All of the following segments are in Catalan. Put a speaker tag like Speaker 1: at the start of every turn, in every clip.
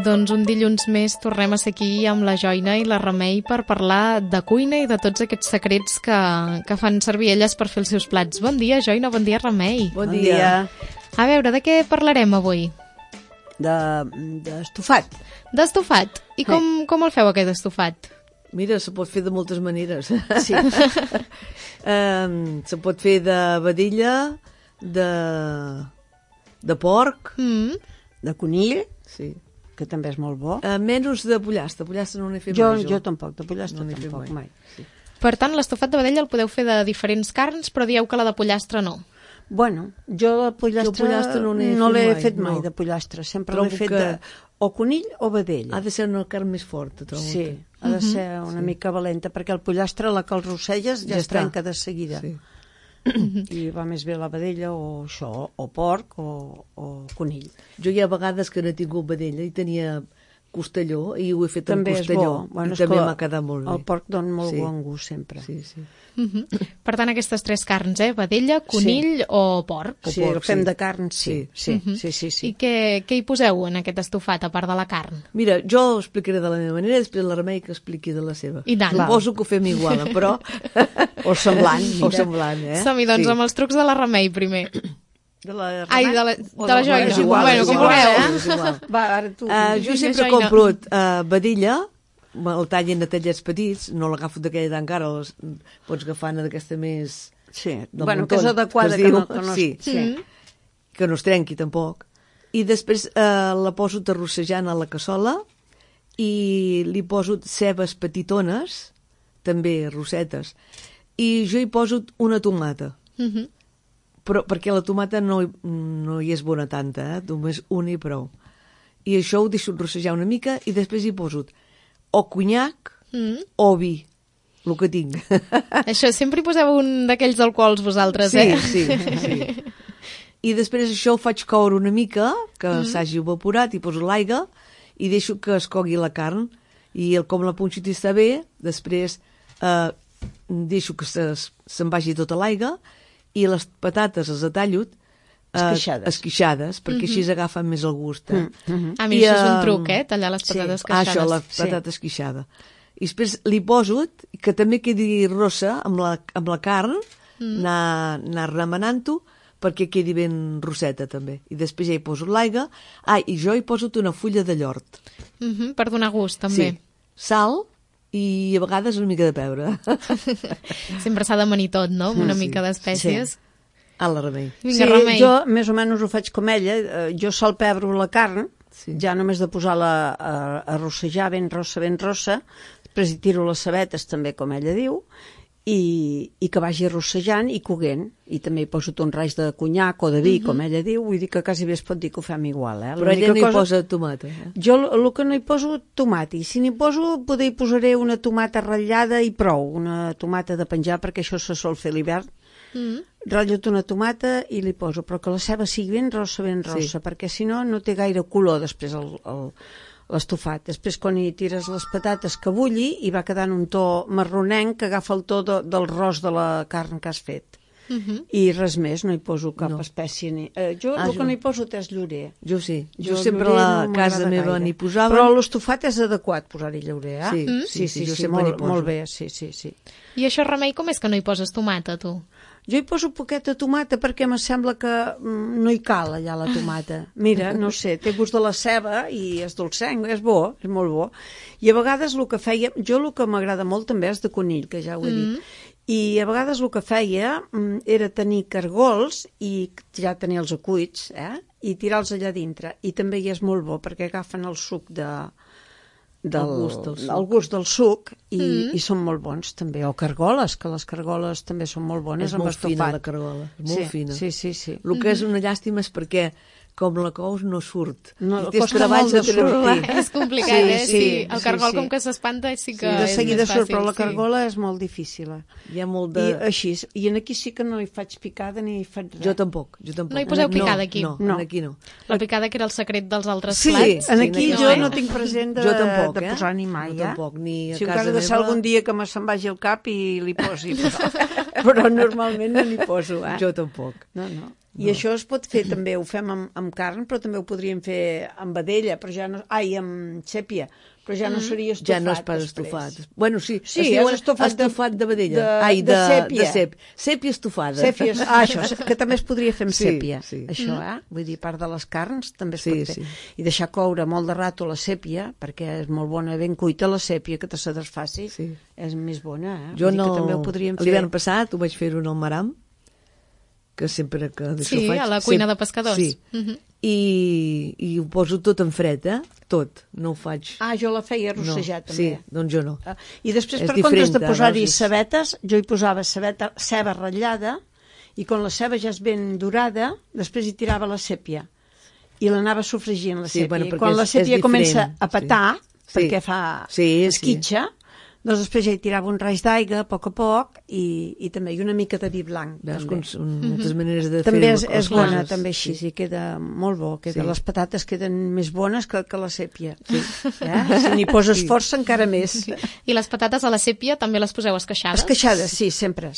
Speaker 1: Doncs un dilluns més tornem a ser aquí amb la Joina i la Remei per parlar de cuina i de tots aquests secrets que fan servir elles per fer els seus plats. Bon dia, Joina, bon dia, Remei.
Speaker 2: Bon dia.
Speaker 1: A veure, de què parlarem avui?
Speaker 2: D'estofat.
Speaker 1: D'estofat. I com el feu, aquest estofat?
Speaker 3: Mira, se pot fer de moltes maneres.
Speaker 2: Sí.
Speaker 3: Se pot fer de vedella, de porc,
Speaker 2: De conill,
Speaker 3: sí.
Speaker 2: que també és molt bo.
Speaker 3: Menys de pollastre. Pollastre no n'he fet
Speaker 2: Jo
Speaker 3: tampoc.
Speaker 2: tampoc, de pollastre
Speaker 3: No n'he fet
Speaker 2: tampoc
Speaker 3: mai.
Speaker 2: mai. Sí.
Speaker 1: Per tant, l'estofat de vedella el podeu fer de diferents carns, però dieu que la de pollastre no.
Speaker 2: Bueno, jo de pollastre
Speaker 3: no
Speaker 2: no
Speaker 3: n'he
Speaker 2: l'he
Speaker 3: fet
Speaker 2: fet
Speaker 3: mai,
Speaker 2: mai,
Speaker 3: no.
Speaker 2: de pollastre. Sempre
Speaker 3: Trobo
Speaker 2: l'he fet
Speaker 3: que-
Speaker 2: o conill o vedella.
Speaker 3: Ha de ser una carn més forta, trobo.
Speaker 2: Sí, ha de ser una mica valenta, perquè el pollastre, la que el rosselles, ja es
Speaker 3: està.
Speaker 2: trenca de seguida.
Speaker 3: Sí.
Speaker 2: I va més bé la vedella o això, o porc o conill.
Speaker 3: Jo hi ha vegades que no he tingut vedella i tenia costelló i ho he fet
Speaker 2: També
Speaker 3: amb
Speaker 2: és
Speaker 3: costelló.
Speaker 2: bo. Bueno,
Speaker 3: I també
Speaker 2: esclar,
Speaker 3: m'ha quedat molt bé.
Speaker 2: El porc dona molt
Speaker 3: Sí.
Speaker 2: bon gust sempre.
Speaker 3: Sí, sí.
Speaker 1: Per tant, aquestes tres carns, vedella, conill o porc.
Speaker 2: Sí,
Speaker 3: porc,
Speaker 2: el fem
Speaker 3: sí.
Speaker 2: de carn, sí. Sí.
Speaker 1: I què hi poseu en aquest estofat, a part de la carn?
Speaker 3: Mira, jo ho explicaré de la meva manera i després la Remei que expliqui de la seva.
Speaker 1: I tant.
Speaker 3: Suposo que ho fem igual, però...
Speaker 2: O semblant,
Speaker 3: O
Speaker 2: mira.
Speaker 3: semblant,
Speaker 1: Som-hi, doncs, amb els trucs de la Remei, primer.
Speaker 3: De la
Speaker 1: Ai, de la Joina.
Speaker 3: És igual,
Speaker 1: Bueno,
Speaker 3: és
Speaker 1: com
Speaker 3: igual,
Speaker 1: vulgueu.
Speaker 3: és igual.
Speaker 2: Va, ara tu.
Speaker 3: Jo sempre
Speaker 1: Joina.
Speaker 3: compro vedella, el tallen a tallets petits, no l'agafo d'aquella d'encara, pots agafar una d'aquesta més...
Speaker 2: Sí,
Speaker 3: del
Speaker 2: bueno,
Speaker 3: muntó,
Speaker 2: que és adequada,
Speaker 3: es
Speaker 2: que
Speaker 3: diu.
Speaker 2: no
Speaker 3: Sí. Que no es trenqui tampoc. I després la poso terrossejant a la cassola i li poso cebes petitones, també rossetes, i jo hi poso una tomata. Però perquè la tomata no hi és bona tanta, només una i prou. I això ho deixo rossejar una mica i després hi poso o conyac o vi, el que tinc.
Speaker 1: Això, sempre hi poseu un d'aquells alcohols vosaltres,
Speaker 3: Sí. I després això ho faig coure una mica, que s'hagi evaporat, i poso l'aigua i deixo que es cogui la carn. I com la punxita està bé, després deixo que se'n vagi tota l'aigua i les patates les atallo esquixades, perquè així agafen més el gust.
Speaker 1: A mi això és un truc, tallar les patates esqueixades.
Speaker 3: Això, la patata esquixada. I després li poso, que també quedi rossa amb la carn, anar remenant-ho, perquè quedi ben rosseta també. I després ja hi poso l'aigua. I jo hi poso una fulla de llort.
Speaker 1: Per donar gust, també.
Speaker 3: Sí. Sal i a vegades una mica de pebre.
Speaker 1: Sempre s'ha d'amanir tot, no? Amb una mica d'espècies.
Speaker 3: A la Remei.
Speaker 1: Vinga, Remei.
Speaker 2: Jo més o menys ho faig com ella. Jo salpebro la carn, ja només de posar-la a rossejar ben rossa, després hi tiro les cebetes també, com ella diu, i que vagi rossejant i coguent. I també hi poso un raig de conyac o de vi, com ella diu, vull dir que quasi bé es pot dir que ho fem igual.
Speaker 3: Però ella no hi posa tomata.
Speaker 2: Jo el que no hi poso, tomata. I si n'hi poso, poder hi posaré una tomata ratllada i prou, una tomata de penjar, perquè això se sol fer a l'hivern. Ratllo una tomata i li poso, però que la ceba sigui ben rossa, perquè si no, no té gaire color després l'estofat. Després, quan hi tires les patates que bulli, hi va quedant un to marronenc que agafa el to del ros de la carn que has fet. I res més, no hi poso cap espècie. Jo el que no hi poso és llorer.
Speaker 3: Jo sí. Jo sempre a la casa meva n'hi posava.
Speaker 2: Però l'estofat és adequat posar-hi llorer,
Speaker 3: Sí, jo sempre n'hi poso.
Speaker 2: Molt bé, sí.
Speaker 1: I això, Remei, com és que no hi poses tomata, tu?
Speaker 2: Jo hi poso poqueta tomata perquè em sembla que no hi cal allà la tomata. Mira, no sé, té gust de la ceba i és dolcenc, és bo, és molt bo. I a vegades el que feia, jo el que m'agrada molt també és de conill, que ja ho he dit. I a vegades el que feia era tenir cargols i ja tenir els acuits, i tirar-los allà dintre. I també hi és molt bo perquè agafen el suc el gust del suc i són molt bons també, o cargoles, que les cargoles també són molt bones amb estofat.
Speaker 3: És molt fina la cargola, molt fina.
Speaker 2: Sí.
Speaker 3: El que és una llàstima és perquè com la cous no surt.
Speaker 2: No,
Speaker 3: I tens treballs de sortir.
Speaker 1: És complicat, sí. El cargol, com que s'espanta, sí que
Speaker 2: de
Speaker 1: és
Speaker 2: seguida
Speaker 1: més fàcil.
Speaker 2: surt, però la cargola és molt difícil.
Speaker 3: Hi ha molt de...
Speaker 2: I així, i aquí sí que no hi faig picada ni hi faig res.
Speaker 3: Jo tampoc.
Speaker 1: No hi poseu picada aquí?
Speaker 3: No, aquí no.
Speaker 1: La picada que era el secret dels altres
Speaker 2: Sí,
Speaker 1: plats?
Speaker 2: aquí jo no tinc present de posar ni mai.
Speaker 3: Jo tampoc, ni a
Speaker 2: si
Speaker 3: casa
Speaker 2: encara de ser
Speaker 3: meva...
Speaker 2: algun dia que se'n vagi al cap i li posi, però normalment no n'hi poso.
Speaker 3: Jo tampoc.
Speaker 2: No. I això es pot fer també, ho fem amb carn, però també ho podríem fer amb vedella, però ja no... Ai, amb sèpia, però ja no seria estofat.
Speaker 3: Ja no és pas estofat. Bueno, sí,
Speaker 2: Sí,
Speaker 3: es diu
Speaker 2: és
Speaker 3: estofat de vedella.
Speaker 2: de sèpia.
Speaker 3: De sèpia estofada.
Speaker 2: Sèpia, això, que també es podria fer amb sèpia.
Speaker 3: Sí.
Speaker 2: Això, Vull dir, a part de les carns, també es
Speaker 3: Sí,
Speaker 2: pot fer.
Speaker 3: sí.
Speaker 2: I deixar coure molt de rato la sèpia, perquè és molt bona, ben cuita la sèpia, que te se desfaci,
Speaker 3: Sí.
Speaker 2: és més bona,
Speaker 3: Jo
Speaker 2: Vull dir
Speaker 3: no...
Speaker 2: que també ho podríem fer.
Speaker 3: L'hivern passat ho vaig fer en el maram, que sempre que d'això
Speaker 1: Sí,
Speaker 3: faig...
Speaker 1: a la cuina de pescadors.
Speaker 3: Sí. I ho poso tot en fred, tot. No ho faig...
Speaker 2: Ah, jo la feia rossejar, també.
Speaker 3: Sí, doncs jo no.
Speaker 2: I després,
Speaker 3: És
Speaker 2: per comptes de
Speaker 3: diferent,
Speaker 2: posar-hi
Speaker 3: veus?
Speaker 2: cebetes, jo hi posava ceba ratllada, i quan la ceba ja és ben dorada, després hi tirava la sèpia. I l'anava sofregint, la
Speaker 3: Sí,
Speaker 2: sèpia.
Speaker 3: bueno,
Speaker 2: I
Speaker 3: perquè
Speaker 2: quan la
Speaker 3: és
Speaker 2: sèpia
Speaker 3: diferent,
Speaker 2: comença a
Speaker 3: sí.
Speaker 2: petar,
Speaker 3: Sí.
Speaker 2: perquè fa
Speaker 3: Sí,
Speaker 2: esquitxa, doncs després ja hi tirava un raig d'aigua a poc, i també i una mica de vi blanc.
Speaker 3: Veus
Speaker 2: també.
Speaker 3: com són moltes maneres de
Speaker 2: També
Speaker 3: fer
Speaker 2: és
Speaker 3: les
Speaker 2: bona,
Speaker 3: coses.
Speaker 2: també així, sí, queda molt bo.
Speaker 3: Sí.
Speaker 2: Les patates queden més bones que la sèpia. Sí. Si n'hi poses força, encara més.
Speaker 1: I les patates a la sèpia també les poseu esqueixades?
Speaker 2: Esqueixades, sí, sempre.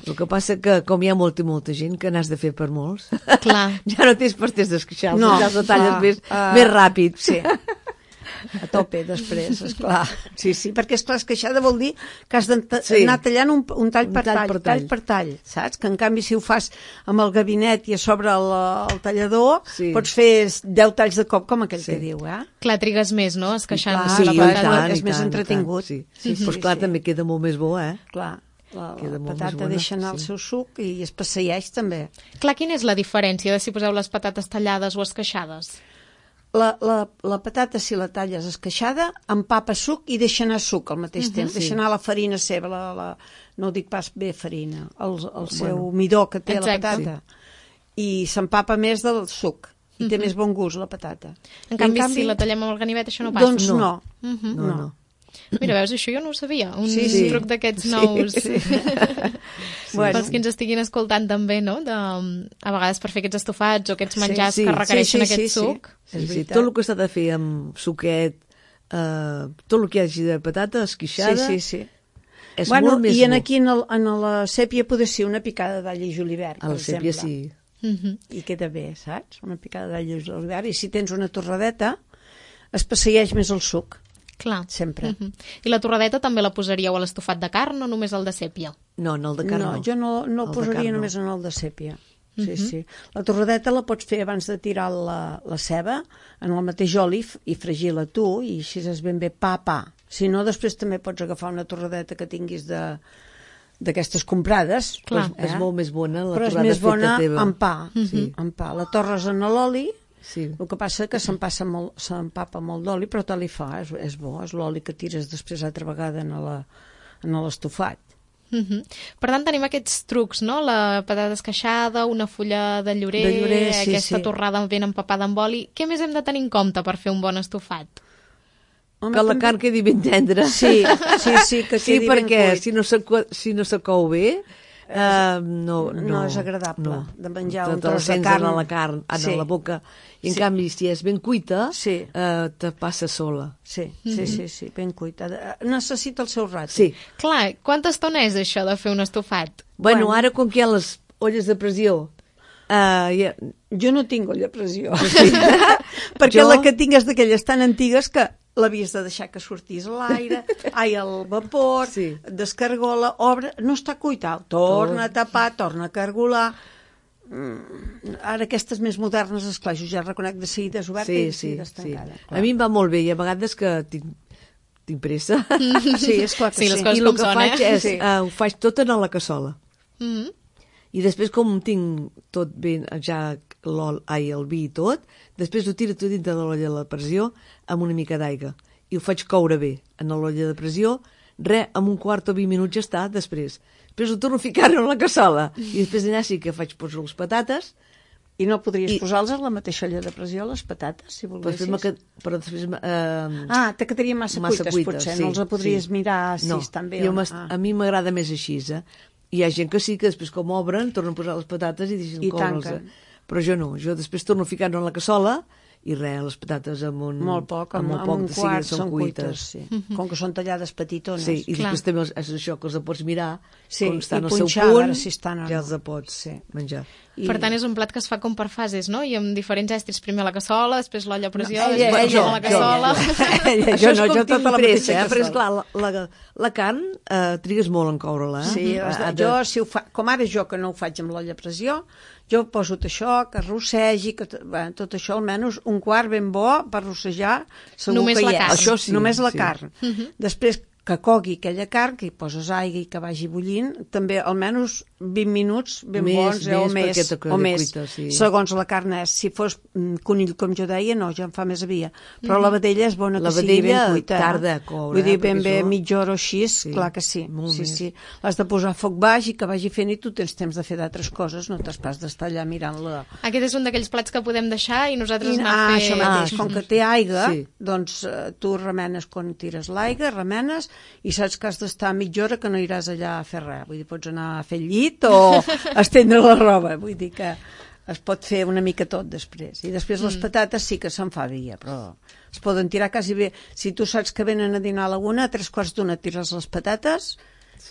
Speaker 3: El que passa que, com hi ha molta gent, que n'has de fer per molts,
Speaker 1: Clar.
Speaker 3: ja no tens per temps d'esqueixar-los,
Speaker 2: No,
Speaker 3: ja els detalles
Speaker 2: clar,
Speaker 3: més ràpid.
Speaker 2: Sí. A tope, després, esclar. Sí, perquè, esclar, esqueixada vol dir que has d'anar tallant un tall per tall, saps? Que, en canvi, si ho fas amb el gabinet i a sobre el tallador, pots fer 10 talls de cop, com aquell que diu,
Speaker 1: Clar, trigues més, no?, esqueixant
Speaker 2: Sí,
Speaker 1: la
Speaker 2: i
Speaker 1: patata.
Speaker 2: tant, és més entretingut.
Speaker 3: Sí. Pues clar, també queda molt més bo,
Speaker 2: Clar, la
Speaker 3: Queda molt més
Speaker 2: patata
Speaker 3: bona,
Speaker 2: deixa anar el seu suc i es passeeix també.
Speaker 1: Clar, quina és la diferència de si poseu les patates tallades o esqueixades?
Speaker 2: La patata, si la talles esqueixada, empapa suc i deixa anar suc al mateix temps. Deixa anar la farina seva, no ho dic pas bé farina, el seu midó que té la patata. I s'empapa més del suc. I té més bon gust, la patata.
Speaker 1: En canvi, si la tallem amb el ganivet, això no passa?
Speaker 2: Doncs no.
Speaker 3: No.
Speaker 1: Mira, veus, això jo no ho sabia. Un truc d'aquests nous. Pels que ens estiguin escoltant també, no? A vegades per fer aquests estofats o aquests menjars que requereixen aquest suc.
Speaker 3: Sí, tot el que s'ha de fer amb suquet, tot el que hi hagi de patata esquixada, és molt més bo.
Speaker 2: I aquí en la sèpia pot ser una picada d'all i julivert, per exemple.
Speaker 3: A la sèpia sí.
Speaker 2: I queda bé, saps? Una picada d'all i julivert. I si tens una torradeta, es passeeix més el suc.
Speaker 1: Clar.
Speaker 2: Sempre.
Speaker 1: I la torradeta també la posaríeu a l'estofat de carn o només al de sèpia?
Speaker 3: No, en el de carn no.
Speaker 2: No, jo no el posaria només en el de sèpia. Sí. La torradeta la pots fer abans de tirar la ceba en el mateix oli i fregir-la tu, i així és ben bé pa. Si no, després també pots agafar una torradeta que tinguis d'aquestes comprades.
Speaker 1: Clar.
Speaker 3: És molt més bona la
Speaker 2: torrada feta teva. Però és més bona amb pa. Amb pa. La torres en l'oli.
Speaker 3: Sí.
Speaker 2: El que passa que s'empapa molt d'oli, però tal li fa, és bo, és l'oli que tires després altra vegada en l'estofat.
Speaker 1: Per tant, tenim aquests trucs, no? La patata esqueixada, una fulla de llorer, aquesta torrada ben empapada amb oli. Què més hem de tenir en compte per fer un bon estofat?
Speaker 3: Home, que la carn quedi ben tendra.
Speaker 2: Sí, que quedi ben cuit.
Speaker 3: Perquè si no se cou bé, no
Speaker 2: és agradable de menjar un tros de carn
Speaker 3: a la carn, a la boca, i en canvi si és ben cuita te passa sola.
Speaker 2: Sí, ben cuita, necessita el seu rato.
Speaker 1: Clar, quanta estona és això de fer un estofat?
Speaker 3: Bueno, ara com que hi ha les olles de pressió,
Speaker 2: jo no tinc olla a pressió perquè la que tinc és d'aquelles tan antigues que l'havies de deixar que sortís l'aire, el vapor, descargola, obre, no està cuita, torna a tapar, torna a cargolar. Ara aquestes més modernes, esclar, jo ja reconec de seguida és oberta i de seguida és tancada.
Speaker 3: A mi em va molt bé i a vegades que tinc pressa.
Speaker 2: Sí, esclar que sí.
Speaker 1: Les coses
Speaker 3: i el que faig és, ho faig tot en la cassola. I després, com tinc tot ben, ja el vi i tot, després ho tiro tot dintre de l'olla de pressió amb una mica d'aigua. I ho faig coure bé en l'olla de pressió, amb un quart o 20 minuts ja està, després ho torno a ficar en la cassola. I després allà sí que poso les patates.
Speaker 2: I no podries posar-los a la mateixa olla de pressió, les patates, si volguessis?
Speaker 3: Però després...
Speaker 2: te quedarien massa cuites, potser. No els podries mirar si estan bé o no.
Speaker 3: A mi m'agrada més així, Hi ha gent que sí, que després com obren, tornen a posar les patates i deixen coure-les. Però jo no, jo després torno a ficar-ho en la cassola i res, les patates amb
Speaker 2: molt poc, amb un quart són cuites, sí. Com que són tallades petitones.
Speaker 3: Sí, i després també és això, que els pots mirar, quan estan al seu
Speaker 2: punt,
Speaker 3: ja els pots menjar.
Speaker 1: Per tant, és un plat que es fa com per fases, no? I amb diferents estris, primer a la cassola, després l'olla a pressió, després a la cassola...
Speaker 2: Jo tota la mateixa
Speaker 3: cassola. Però és clar, la carn trigues molt en coure-la.
Speaker 2: Sí, jo, com ara jo que no ho faig amb l'olla a pressió, jo poso això, que rossegi, tot això almenys un quart ben bo per rossejar, segur
Speaker 1: només
Speaker 2: que
Speaker 1: hi és.
Speaker 2: Això sí, només la carn. Després que cogui aquella carn, que hi poses aigua i que vagi bullint, també almenys 20 minuts ben bons, o més, segons la carn és. Si fos conill, com jo deia, no, ja em fa més avia. Però la vedella és bona que sigui ben cuita.
Speaker 3: La vedella tarda a coure.
Speaker 2: Vull dir, ben bé, mitja hora o així, clar que sí. Sí. L'has de posar a foc baix i que vagi fent i tu tens temps de fer d'altres coses, no t'has pas d'estar allà mirant-la.
Speaker 1: Aquest és un d'aquells plats que podem deixar i nosaltres anar a fer...
Speaker 2: Això mateix, com que té aigua, doncs tu remenes quan tires l'aigua, remenes, i saps que has d'estar mitja hora que no iràs allà a fer res. Vull dir, pots anar a fer el llit o estendre la roba. Vull dir que es pot fer una mica tot després. I després les patates sí que se'n fa via, però es poden tirar quasi bé. Si tu saps que venen a dinar a la 1, a 3:15 tires les patates,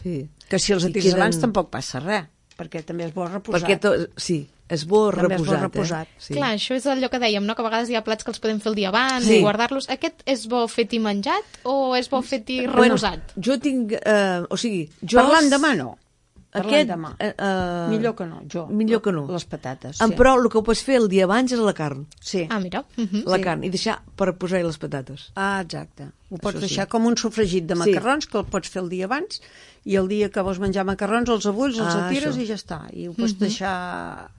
Speaker 2: que si els tires abans tampoc passa res, perquè també és bo reposat.
Speaker 3: Sí, és bo reposat.
Speaker 1: Clar, això és allò que dèiem, no? Que a vegades hi ha plats que els podem fer el dia abans i guardar-los. Aquest és bo fet i menjat o és bo fet i reposat?
Speaker 3: Jo tinc...
Speaker 2: Parlant demà no. Millor que no,
Speaker 3: Millor que no.
Speaker 2: Les patates.
Speaker 3: Però el que ho pots fer el dia abans és la carn.
Speaker 2: Sí.
Speaker 1: Ah, mira.
Speaker 3: La carn, i deixar per posar-hi les patates.
Speaker 2: Ah, exacte. Ho pots deixar com un sofregit de macarrons, que el pots fer el dia abans, i el dia que vols menjar macarrons els abulls, els atires i ja està. I ho pots deixar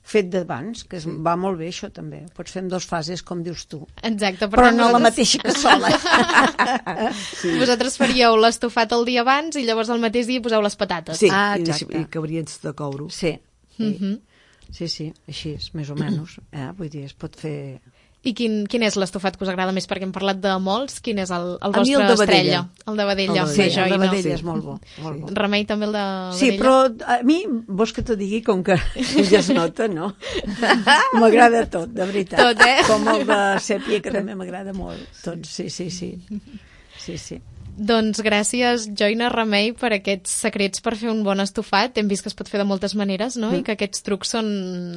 Speaker 2: fet d'abans, que va molt bé això també. Ho pots fer en 2 fases, com dius tu.
Speaker 1: Exacte.
Speaker 2: Però no la mateixa cassola.
Speaker 1: Vosaltres faríeu l'estofat el dia abans i llavors el mateix dia poseu les patates.
Speaker 3: Sí, i acabarien de coure-ho.
Speaker 2: Sí, així és, més o menys. Vull dir, es pot fer...
Speaker 1: I quin és l'estofat que us agrada més? Perquè hem parlat de molts. Quin és el vostre estrella? El de vedella.
Speaker 2: Sí, el de vedella és molt bo.
Speaker 1: Remei també el de vedella?
Speaker 2: Sí, però a mi, vols que t'ho digui, com que ja es nota, no? M'agrada tot, de veritat.
Speaker 1: Tot,
Speaker 2: Com el de sèpia, que també m'agrada molt. Tot, sí.
Speaker 1: Doncs gràcies, Joina, Remei, per aquests secrets per fer un bon estofat. Hem vist que es pot fer de moltes maneres, no? I que aquests trucs són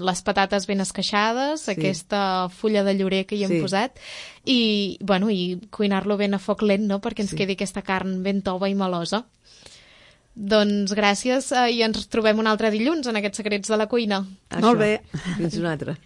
Speaker 1: les patates ben esqueixades, aquesta fulla de llorer que hi hem posat, i cuinar-lo ben a foc lent, no? Perquè ens quedi aquesta carn ben tova i melosa. Doncs gràcies i ens trobem un altre dilluns en aquests secrets de la cuina.
Speaker 2: Molt bé.
Speaker 3: Fins un altre.